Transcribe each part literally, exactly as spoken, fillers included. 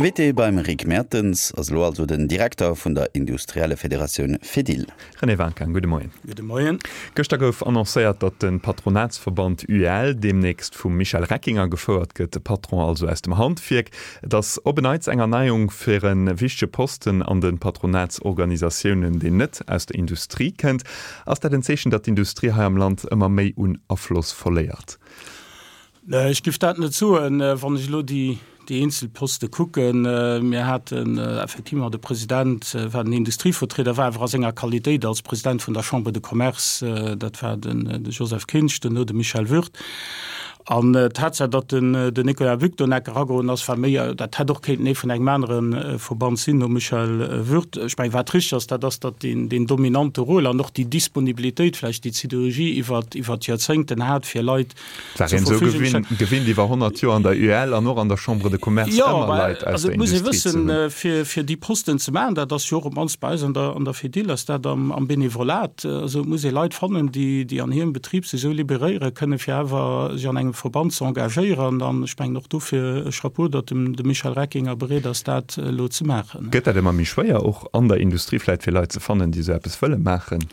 Invité beim Rick Mertens ass elo also den Direkter vun der Industriellefederatioun Fedil. René Winkin, gudde Moien. Gudde Moien. Gëschter gouf annoncéiert, datt de Patronatsverband U E L deemnächst vum Michel Reckinger gefouert gëtt, de Patron also aus dem Handwierk. Et ass op en Neits eng Erneiung fir e wichtege Posten an de Patronatsorganisatiounen, deen net aus der Industrie kënnt. Ass dat en Zeechen, datt d'Industrie hei am Land ëmmer méi un Afloss verléiert? Ech géif dat net soen, wann ech elo déi déi eenzel Poste kucken. Mir haten effectivement de President war den Industrievertrieder, war awer a senger Qualitéit als President vun der Chambre de Commerce, dat war den de Joseph Kinsch, duerno de Michel Würth. An d'Tatsaach, datt den den Nicolas Buck do neck eragoen ass, war méi, dat hätt och kéinten ee vun engem anere Verband sinn, nom Michel Würth. Ech mengen, wat richtig ass, dat ass, datt deen deen dominante Rôle an och déi Disponibilitéit vläicht, déi d'Siderurgie iwwer iwwer d'Joerzéngten hat, fir Leit War een esou gewinnt, gewinnt iwwer honnert Joer an der U E L an och an der Chambre de Commerce Jo, ëmmer mä Leit aus also der et muss ee Industrie ze wëssen, hunn. fir, fir déi Posten ze maachen, dat ass jo och op d'mannst bei eis an der, an der Fedil ass dat am, am Benevolat, also et muss ee Leit fannen, déi, déi an hirem Betrib sech esou liberéiere kënnen, fir awer sech an engem Verband ze engagéieren. An ech mengen och dofir e Chapeau, datt dem, de Michel Reckinger bereet ass, dat elo ze maachen. Gëtt dat ëmmer méi schwéier, och an der Industrie vläicht, fir Leit ze fannen, déi esou eppes wëlle maachen?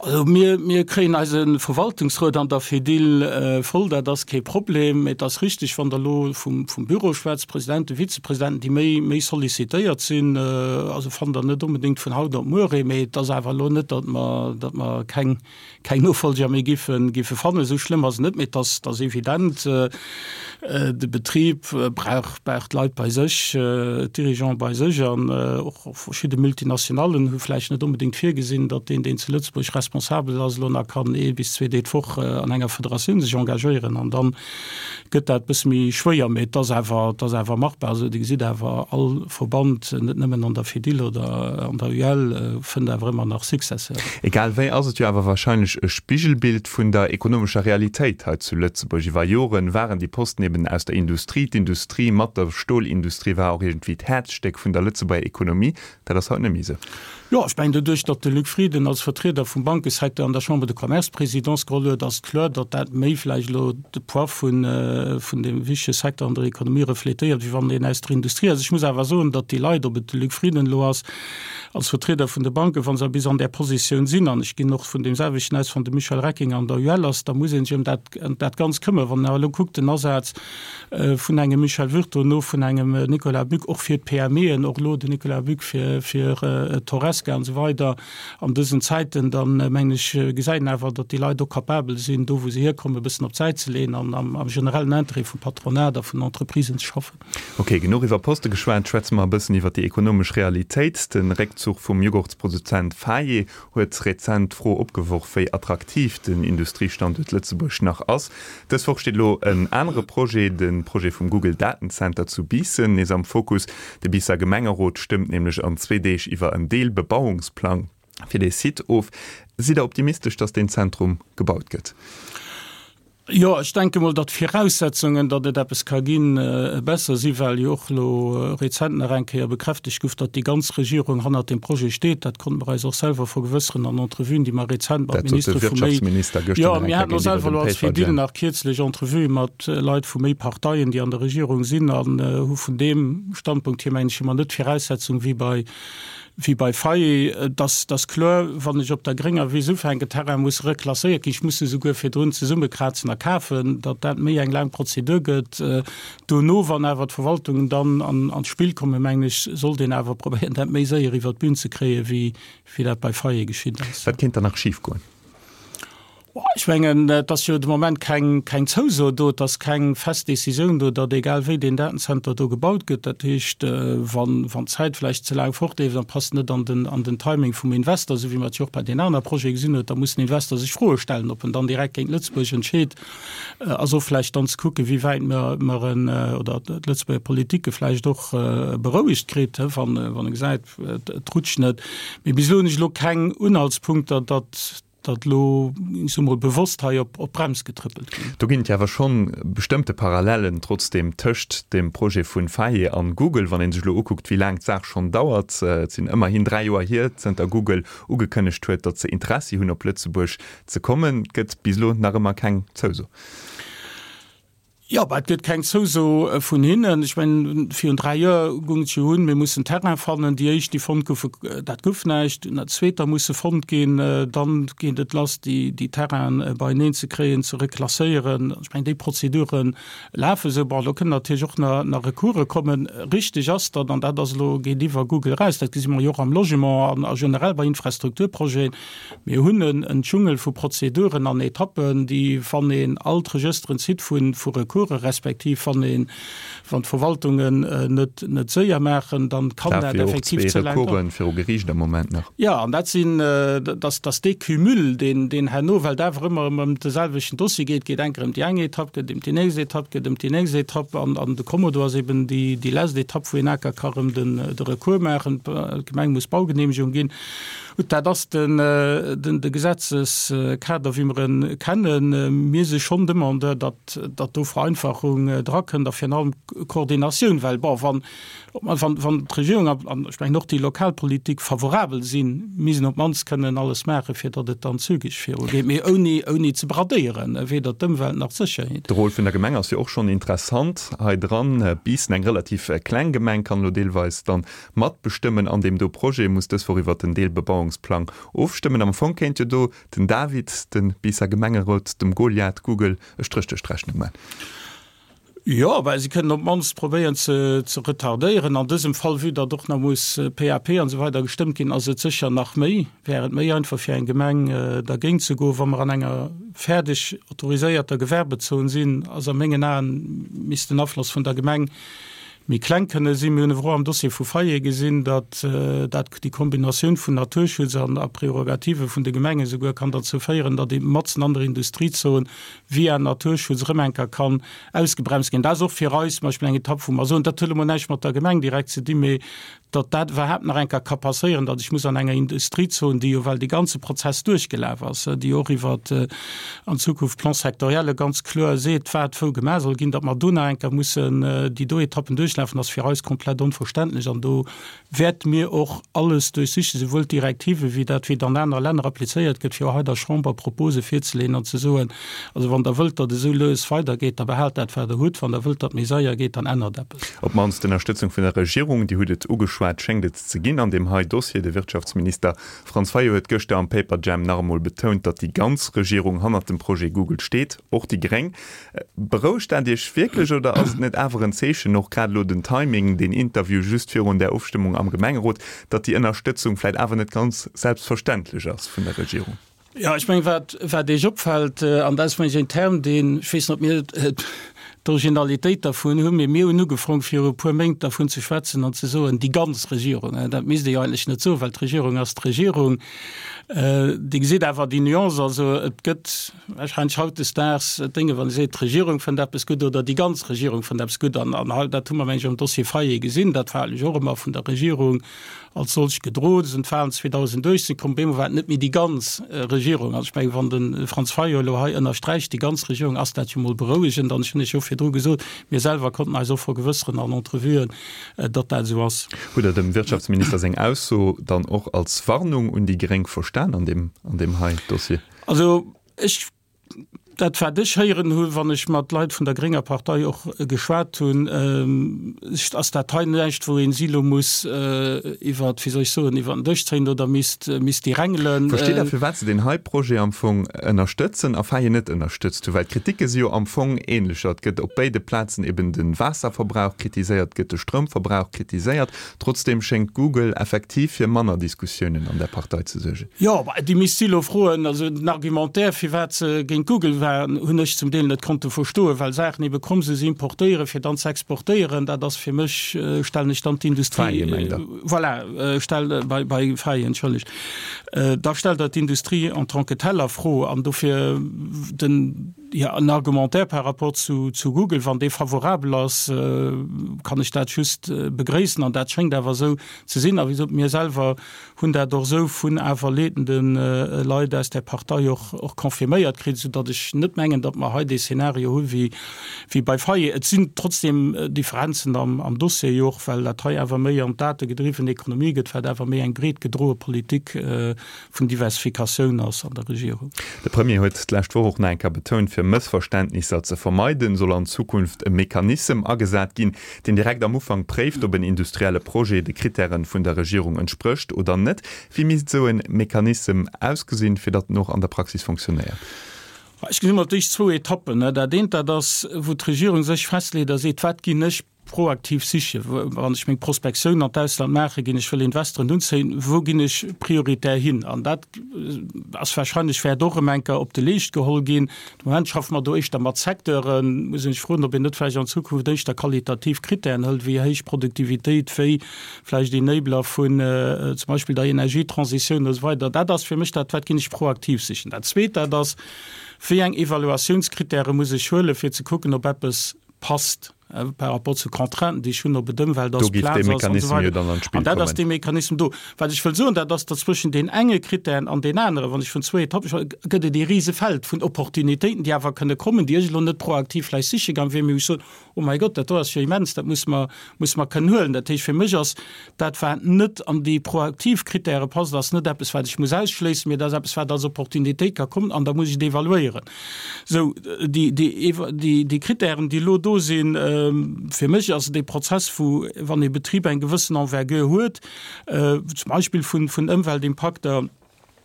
Also mir, mir kréien eise Verwaltungsrot an der Fedil voll, dat ass kee Problem. Et ass richtig, wann Der elo vum, vum Büro schwätzt, Presidenten, Vizepresidenten, déi méi, méi sollicitéiert sinn, also fannt Der net onbedéngt vun haut op muer ee, mee et ass awer elo net, datt mer, datt mer keng, keng Nofolger méi giffe, giffe fannen. Esou schlëmm ass et net, mee et ass, et ass evident, de Betrib brauch, brauch d'Leit bei sech, d'Dirigeants bei sech an och verschidde Multinationallen hu vläicht net onbedéngt virgesinn, datt deen, deen zu Lëtzebuerg responsabel ass, elo nach kann ee bis zwee Deeg d'Woch an enger Federatioun sech engagéieren an dann gëtt dat e bësse méi schwéier, mee et ass awer, et ass awer machbar. Also Dir gesitt awer, all Verband, net nëmmen an der Fedil oder an der U E L, fënnt awer ëmmer nach Successeuren. Egal wéi ass et jo awer wahrscheinlech e Spigelbild vun der ekonomescher Realitéit hei zu Lëtzebuerg. Iwwer Joren waren déi Posten eben aus der Industrie. D'Industrie mat der Stolindustrie war och iergendwéi d'Häerzstéck vun der Lëtzebuerger Ekonomie. Dat ass haut net méi esou. Jo, ech mengen, doduerch, datt de Luc Frieden als Vertrieder vum Bankesecteur an der Chambre de Commerce d'Présidence geholl huet, ass kloer, datt dat méi vläicht elo de Poids vun, vun deem wichtege Secteur an der Ekonomie refletéiert, wéi wann een aus der Industrie ass. Ech muss awer soen, datt déi Leit, ob et de Luc Frieden elo ass als Vertrieder vun de Banken, wa se bis an där Positioun sinn, an ech ginn och vun deem selwechten aus, wann de Michel Reckinger an der U E L ass, da muss ee sech ëm dat, ëm dat Ganzt këmmern. Wann een awer elo kuckt, den Asaz vun engem Michel Würth, dono vun engem Nicolas Buck, och fir d'P M Eën, och elo den Nicolas Buck fir, fir d'Horesca an esou weider, an dësen Zäiten, dann mengen ech, gesäit een awer, datt déi Leit och capabel sinn, do wou se hierkommen, e bëssen op d'Säit ze leeën an am, am generellen Intérêt vum Patronat a vun Entreprisen ze schaffen. Ok, genuch iwwer Poste geschwat, schwätze mer e bëssen iwwer déi ekonomesch Realitéit. De Réckzuch vum Jughurtsproduzent Faye huet rezent d'Fro opgeworf, wéi attraktiv den Industriestanduert Lëtzebuerg nach ass. Dës Woch steet elo en anere Projet, de Projet vum Google Datenzenter zu Biissen, nees am Fokus. De Biisser Gemengerot stëmmt nämlech an zwee Deeg iwwer en Deelbebauungsplang fir dee Site of. Sidd Der optimistesch, datt deen Zentrum gebaut gëtt? Jo, ech denke mol, datt d'Viraussetzungen, datt et eppes ka ginn, besser si, well jo och elo rezent nach eng Kéier bekräftegt gouf, datt déi ganz Regierung hannert deem Projet steet. Dat konnte mer eis och selwer vergewësseren an Entrevuen, déi mer rezent mat Dat sot de Ministere vu méi Wirtschaftsminister gëschter Jo, nach eng mir Kéier haten och géintiwwer selwer dem elo als Paper Fedil Jam. nach kierzlech Entrevuë mat Leit vu méi Parteien, déi an der Regierung sinn, an hu vun deem Standpunkt hier, mengen ech, hu mer net d'Viraussetzung wéi bei wéi bei Faye. Et ass, et ass kloer, wann ech op der grénger Wiss ufänken, Terrain muss reklasséiert ginn, ech muss se souguer virdrun zesummekrazen a kafen, datt dat méi eng laang Prozedur gëtt. Dono, wann awer d'Verwaltungen dann an, an d'Spill kommen, mengen ech, sollt een awer probéieren, dat méi séier iwwer d'Bün ze kréien, wéi, wéi dat bei Faye geschitt ass. Wat kéint dann nach schifgoen? Ech mengen, et ass jo de Moment keng, keng Zouso do, et ass keng fest Decisioun do, datt egal wéi deen Datenzenter do gebaut gëtt. Dat heescht, wann, wann d'Zäit vläicht ze laang fortleeft an passt net an den, an den Timing vum Investor, esou wéi mer et jo och bei den aner Projete gesinn huet, da muss den Investor sech Froe stellen, ob en dann direkt géint Lëtzebuerg entscheet. Ass och vläicht dann ze kucken, wéi wäit mer, mer en, oder d'Lëtzebuerger Politik e vläicht och berouegt kritt, wann, wann e gesäit, et rutscht net. Mee bis elo hunn ech elo keng Unhaltspunkter, datt datt elo, ich soe mol, bewosst hei op, op d'Brems getrëppelt ginn. Do ginn et jo awer schonn bestëmmte Parallellen trotzdeem tëscht dem Projet vun Faye an Google, wann ee sech elo ukuckt, wéi laang d'Saach schonn dauert. Et sinn ëmmerhin dräi Joer hier, zënter Google ugekënnegt huet, datt se Interessi hunn, op Lëtzebuerg ze kommen. Et gëtt bis elo nach ëmmer keng Zouso. Jo, bah, et gëtt keng Zouso vun hinnen. Ech mengen, virun dräi Joer goung et jo un, mir mussen Terrain fannen. Déi éischt, déi fonnt goufen, dat gouf näischt. Dunn hat zweeter musse fonnt ginn. Dann geet et lass, déi, déi Terrainen beieneen ze kréien, ze reklasséieren. Ech mengen, déi Prozedure lafen esou. Bon, do kënnen natierlech och nach, nach Recourse kommen. Richteg ass, datt, an dat ass elo, geet iwwer Google eraus, dat gesi mer jo och am Logement an a generell bei Infrastrukturprojeten, mir hunn en, en Dschungel vu Prozeduren an Etappen, déi, wann een all d'Regësteren zitt vu, vu Recoursen, respektiv wann een, wann d'Verwaltungen net, net séier maachen, dann kann dat effektiv ze laang daueren. Viru Geriicht am Moment nach. Jo, an dat sinn, dass, dass dee Cumul, deen, deen herno, well et awer ëmmer ëm de selwechten Dossier geet, geet eng Kéier ëm déi eng Etapp, gëtt ëm déi nächst Etapp, gëtt ëm déi nächst Etapp, an, an de Kommodo ass eben déi, déi lescht Etapp, wou een aker ka rëm den, de Recours maachen, d'Gemeng muss Baugenehmegung ginn. Gutt, dat ass den, den, de Gesetzeskader, wéi mer en kennen. Mir si schonn Demandeur, datt, datt do Vereinfachung drakënnt a virun allem Koordinatioun, well, bon, wann, wann, wann d'Regierung an ech mengen och déi Lokalpolitik favorabel sinn, misst een op d'mannst kënnen alles maachen, fir datt et dann zügeg virugeet, mee ouni, ouni ze bradéieren, weder d'Ëmwelt nach d'Sécherheet. De Rôle vun der Gemeng ass jo och schonn interessant hei dran. Biissen, eng relativ kleng Gemeng, kann elo deelweis dann matbestëmmen an deem do Projet, muss dës Woch iwwert den Deelbebauungsplang ofstëmmen. Am Fong kéint jo do den David, de Biisser Gemengerot, dem Goliath Google e Stréch duerch d'Rechnung man. Jo, well si kënnen op d'mannst probéieren ze ze retardéieren. An dësem Fall, vue datt och nach muss P A P an esou weider gestëmmt ginn, ass et sécher nach méi, wär et méi einfach fir eng Gemeng dergéint ze goen. Wa mer an enger fäerdeg autoriséierter Gewerbezon sinn, ass a mengen Aen, misst den Afloss vun der Gemeng méi kleng kënne sinn. Mir hunn awer och am Dossier vu Fayet gesinn, datt dat déi Kombinatioun vun Naturschutz an a Prerogative vun de Gemengen esouguer kann derzou féieren, datt ee matzen an der Industriezon via Naturschutz erëm eng Kéier kann ausgebremst ginn. Dat ass och fir eis zum Beispill eng Etapp, wou mer soen, dat huet emol näischt mat der Gemeng direkt ze dinn, mee datt dat iwwerhaapt nach eng Kéier ka passéieren, datt ech muss an enger Industriezon, déi jo well dee ganze Prozess duerchgelaf ass, déi och iwwer an Zukunft Plan-sectorielle ganz kloer seet, wat wou gemaach soll ginn, datt mer do nach eng Kéier mussen déi do Etappen duerchlafen, ass fir eis komplett onverständlech. An do wäerte mir och alles duerchsichen, souwuel d'Direktive wéi dat, wéi et an anere Länner applizéiert gëtt, fir och hei der Chamber Propose virzeleeën an ze soen, Also wann Der wëllt, datt et esou lues weidergeet, da behaalt dat, wat Der hutt. Wann Der wëllt, datt et méi séier geet, dann ännert eppes. Op d'mannst d'Ënnerstëtzung vun der Regierung, Dir hutt et ugeschwat, schéngt et ze ginn an deem hei Dossier. De Wirtschaftsminister Franz Fayot huet gëschter am Paperjam nach emol betount, datt déi ganz Regierung hannert dem Projet Google steet, och déi Gréng. Berouegt dat Iech wierklech oder ass et net awer en Zeechen, och grad elo den Timing, deen Interview just virun där Ofstëmmung am Gemengerot, datt déi Ënnerstëtzung vläicht awer net ganz selbstverständlech ass vun der Regierung? Jo, ech mengen, wat, wat Iech opfält, an dat ass, mengen ech, en Term, deen, ech weess net, ob mir d'Originalitéit dervun hunn, mee mir hunn ugefrong viru e puer Méint dervun ze schwätzen an ze soen, déi ganz Regierung. Dat misst ee jo eigentlech net soen, well d'Regierung ass d'Regierung. Dir gesitt awer déi Nuance, also et gëtt wahrscheinlech hautdesdaags Dénge, wann ee seet, d'Regierung fënnt eppes gutt oder déi ganz Regierung fënnt eppes gutt. An dat hu mer, mengen ech, am Dossier Fayet gesinn, dat war eigentlech och ëmmer vun der Regierung als solch gedroen. Sinn d'Wahlen zweedausendachtzehn komm, op eemol war et net méi déi ganz Regierung. Also ech mengen, wann de Franz Fayot elo hei ënnersträicht, déi ganz Regierung, ass dat jo mol berouegend. An ech hunn Iech jo virdru gesot, mir selwer konnten eis och vergewësseren an Entrevuen, datt dat esou ass. Hutt Der dem Wirtschaftsminister seng Ausso dann och als Warnung un déi Gréng verstan an deem, an deem hei Dossier? Also ech, dat wat ech héieren hunn, wann ech mat Leit vun der grénger Partei och geschwat hunn, ass dat hei näischt, wou een si elo muss iwwer, wéi soll ech soen, iwwer den Dësch zéien oder misst, misst déi rengelen. Versteet Der, firwat se deen hei Projet am Fong ënnerstëtzen a Faye net ënnerstëtzt hunn? Well d'Kriticke si jo am Fong ähnlecher. Et gëtt op béide Plazen eben de Waasserverbrauch kritiséiert, et gëtt de Stroumverbrauch kritiséiert. Trotzdeem schéngt Google effektiv fir manner Diskussiounen an der Partei ze suergen. Jo, déi misst si elo froen. Also den Argumentaire, firwat se géint Google waren, hunn ech zum Deel net konnte verstoen, well Saachen ebe komm se se importéieren, fir dann ze exportéieren, dat ass fir mech, stellen ech dann d'Industrie, Faye mengt Der? Voilà, stell, bei, bei Faye, entschëllegt, da stellt Der d'Industrie en tant que telle a Fro. An dofir den, jo, en Argumentaire par rapport zu, zu Google, wann dee favorabel ass, kann ech dat just begréissen. An dat schéngt awer esou ze sinn. A wéi gesot, mir selwer hunn dat och esou vun awer leedende Leit aus där Partei och, och confirméiert kritt, soudatt ech net mengen, datt mer hei dee Szenario hu wéi, wéi bei Faye. Et sinn trotzdeem Differenzen am, am Dossier jo och, well dat hei awer méi an d'dategedriwwen Ekonomie gëtt, wat awer méi eng breet gedroe Politik vun Diversifikatioun ass an der Regierung. De Premier huet d'lescht Woch och nach eng Kéier betount, Fir Mëssverständnisser ze vermeiden, soll an Zukunft e Mechanissem agesat ginn, deen direkt am Ufank préift, ob en industrielle Projet de Krittäre vun der Regierung entsprécht oder net. Wéi misst esou e Mechanissem ausgesinn, fir datt en och an der Praxis fonctionnéiert? Ech gesinn emol d'éischt zwou Etappen. Dat eent, dat ass, wou d'Regierung sech festleet a seet, Wat ginn ech proaktiv sichen, wann ech meng Prospektioun an d'Ausland maache ginn, ech wëll Investoren unzéien, wou ginn ech prioritär hin? An dat ass wahrscheinlech, wäert och erëm eng Kéier op de Leescht geholl ginn. De Moment schaffe mer do éischter mat Secteuren. Muss een sech froen, ob een net vläicht an Zukunft éischter qualitativ Kritären hëlt, wéi héich Produktivitéit, wéi vläicht Enabler vun zum Beispill der Energietransitioun a sou weider. Dat ass fir mech dat, wat ginn ech proaktiv sichen. Dat Zweet, dat ass, Wéi eng Evaluatiounskritäre muss ech huelen, fir ze kucken, ob eppes passt par rapport zu Contrainten, déi ech hunn, ob et Ëmwelt ass, Plaz ass an esou weider. An dat ass dee Mechanissem do. Wat ech wëll soen, dat ass, datt zwëschen deen enge Kritären an deen aneren, wann ech vun zwou Etappe schwätzen, gëtt et ee Risefeld vun Opportunitéiten, déi awer kënne kommen, déi ech elo net proaktiv vläicht siche gang, wéi mir ech soen, Oh mäi Gott, dat do ass jo immens, dat musse mer, musse mer kënnen huelen. Dat heescht, fir mech ass dat, wat net an déi proaktiv Kritäre passt, ass net eppes, wat ech muss ausschléissen, mee dat ass eppes, wat als Opportunitéit ka kommen an da muss ech et evaluéieren. Sou, déi, déi, déi, déi Kritären, déi elo do sinn, fir mech ass et e Prozess, wou, wann e Betrib eng gewëssen Envergure huet, zum Beispill vun, vun Ëmweltimpakter,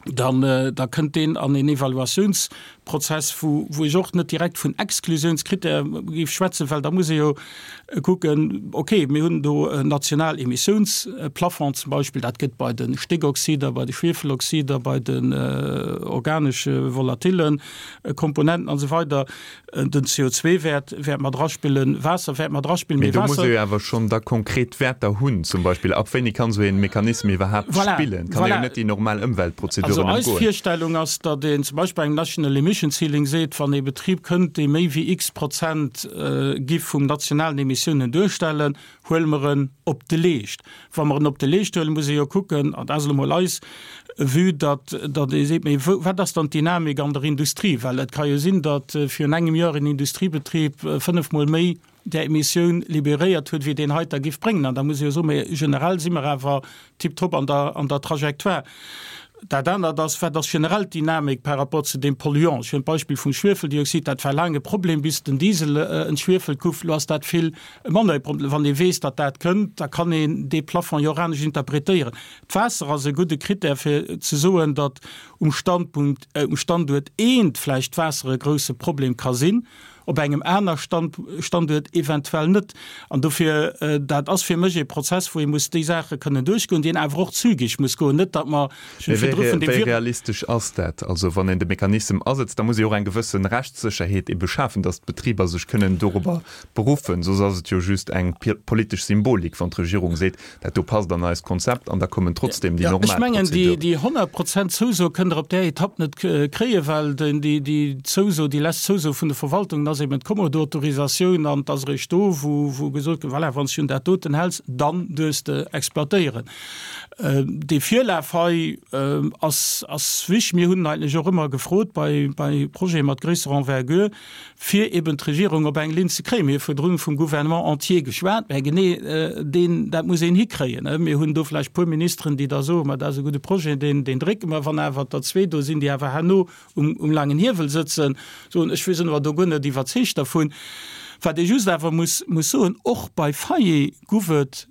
dann da kënnt deen an een Evaluatiounsprozess, wou wou ech och net direkt vun Exklusiounskritäre géif schwätzen, well da muss ee jo kucken, okay, mir hunn do en national Emissiounsplafond zum Beispill, dat gëtt bei de Stéckoxider, bei de Schwiefeloxider, bei den organesche volatile Komponenten an esou weider. Den C O zwei Wäert wäert mat eraspillen, Waasser wäert mat eraspillen, mee Waasser. Mee do muss ee jo awer schonn da konkret Wäerter hunn, zum Beispill ab wéini kann esou ee Mechanissem iwwerhaapt Voilà, spillen? Kann ee jo voilà. net déi normal Ëmweltprozeduren Also eis ëmgoen. Virstellung ass, datt een zum Beispill bei engem National Emission Ceiling seet, wann ee Betrib kënnt, dee méi wéi x Prozent giff vum nationalen Emissiounen duerstellen, huele mer en op de Leescht. Wa mer en op de Leescht huelen, muss ee jo kucken, an dat ass elo mol eis Vue, datt, datt ee seet, mee wou, wat ass dann d'Dynamik an der Industrie? Well et ka jo sinn, datt virun engem Joer en Industriebetrib fënnefmol méi där Emissioun liberéiert huet, wéi deen heiter giff bréngen. An da muss ee jo soen, mee generell si mer awer tiptop an der, an der Trajectoire. Dat anert ass, Wat ass generell d'Dynamik par rapport zu deem Polluant? Ech hunn d'Beispill vum Schwiefeldioxid, dat war laang e Problem, bis den Diesel entschwiefelt gouf. Elo ass dat vill manner e Problem. Wann ee weess, datt dat kënnt, da kann een dee Plafond jo och anescht interpretéieren. D'Waasser ass e gudde Krittär, fir ze soen, datt um Standpunkt, um Standuert eent vläicht d'Waasser e grouse Problem ka sinn. op engem aner Standuert eventuell net. An dofir, dat ass fir mech ee Prozess, wou ee muss déi Saache kënnen duerchgoen, deen awer och zügig muss goen, net datt mer, ech hunn virdru vun deem. Wéi realistesch ass dat? Also wann een de Mechanissem asetzt, da muss ee och eng gewësse Rechtssécherheet ebe schafen, datt d'Betriber sech kënnen dorobber beruffen. Soss ass et jo just eng politesch Symbolik, wann d'Regierung seet, dat do passt an eist Konzept an da kommen trotzdem déi normal Ech mengen, Prozeduren. déi honnert Prozent Zouso kënnt Der op där Etapp net kréien, well déi Zouso, déi lescht Zouso vun de Verwaltungen ass eben d'Kommodo-Autorisatioun an et ass eréischt do, wou wou gesot gëtt, voilà, wann s du un dat doten häls, dann duerfs de exploitéieren. Dee Virlaf hei ass ass wichtig. Mir hunn eigentlech och ëmmer gefrot bei bei Projete mat gréisserer Envergure, fir eben d'Regierung op eng Linn ze kréien. Mir hu virdrun vum Gouvernement entier geschwat, mä genee deen, dat muss een hikréien. Mir hunn do vläicht e puer Ministeren, déi da soen, ma dat ass e gudde Projet, deen, deen drécke mer. Wann awer der zwee do sinn, déi awer herno um, um laangen Hiewel sëtzen, soen, ech sinn awer do guer net iwwerzeegt dervun. Wat ee just awer muss, muss soen, och bei Faillé guff et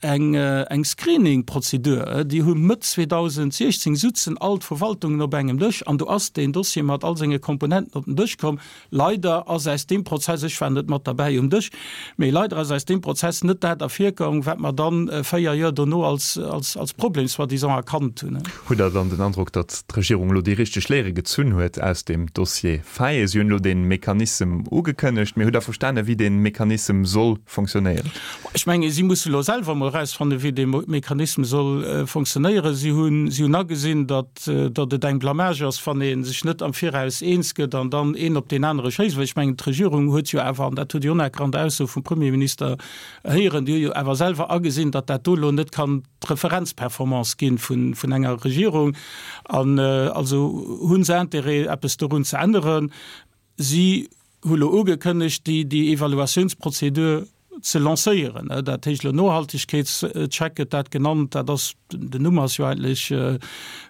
eng, eng Screening-Prozedur. Déi hu Mëtt zweedausendsiechzéng sutzen all d'Verwaltungen op engem Dësch an do ass deen Dossier mat all senge Komponenten op den Dësch komm. Leider ass aus deem Prozess, ech war net mat derbäi um Dësch, mee leider ass aus deem Prozess net dat ervirkomm, wat mer dann véier Joer dono als, als, als Problem soi-disant erkannt hunn. Hutt Der dann den Androck, datt d'Regierung elo déi richteg Léiere gezunn huet aus deem Dossier Faye? Si hunn elo dee Mechanissem ugekënnegt, mee hutt Der verstanen, wéi dee Mechanissem soll fonctionnéieren? Ech menge si musse elo selwer emol erausfannen, wéi dee Mechanissem soll fonctionnéieren. Si hunn, si hunn agesinn, datt, datt et eng Blamage ass, wann ee sech net am Viraus eens gëtt an dann een op deen anere schéisst. Well ech mengen, d'Regierung huet jo awer, an dat huet Dir och an der Ausso vum Premierminister héieren, déi huet jo awer selwer agesinn, datt dat do elo net kann d'Referenzperformance gi vun, vun enger Regierung. An also hu se Intérêt, eppes dorun ze änneren. Si hu lo ugekënnegt, déi, déi Evaluatiounsprozedur ze lancéieren. Dat heescht elo Nohaltegkeetscheck gëtt dat genannt, dat ass, den Numm ass jo eigentlech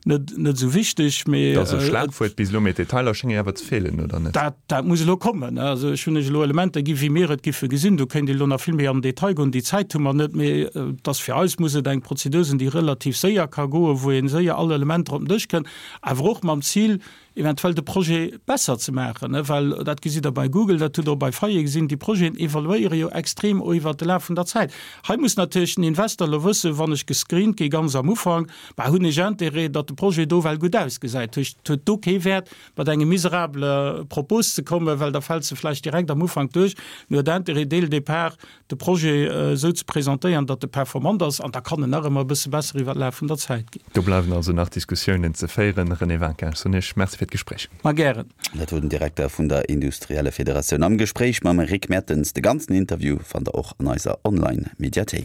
net, net esou wichteg, mee. Dat ass e Schlagwuert bis elo, mee d'Detailer schénge awer ze feelen, oder net? Dat, dat muss elo kommen. Also ech hunn lech elo Elementer gi wéi mir et giffe gesinn. Do kéint ee elo nach vill méi an den Detail goen, déi Zäit hu mer net, mee et ass fir eis muss et eng Prozedur sinn, déi relativ séier ka goen, wou ee séier all Elementer op den Dësch kënn, awer och mam Zil, eventuell de Projet besser ze maachen, well dat gesitt Der bei Google, dat hutt Der och bei Faye gesinn, déi Projeten evoluéiere jo extrem och iwwert de Laf vun der Zäit. Hei muss natierlech den Investor elo wëssen, wann ech gescreent gi ganz am Ufank, bah hunn ech Intérêt, datt de Projet do well gutt ausgesäit. Et huet do kee Wäert, mat engem miserabele Propos ze kommen, well da fält se vläicht direkt am Ufank duerch. Mir huet Intérêt, dès le départ de Projet esou ze presentéieren, datt e performant ass, an da kann en nach ëmmer e bësse besser iwwer d'Laf vun der Zäit ginn. Do bleiwen also nach Diskussiounen ze féieren. René Winkin, ech soen Iech Merci fir d'Gespréich. Ma gären. Dat wor den Direkter vun der Industriellefederatioun am Gespréich mam Rick Mertens. De ganzen Interview fannt der och an eiser Online-Mediathéik.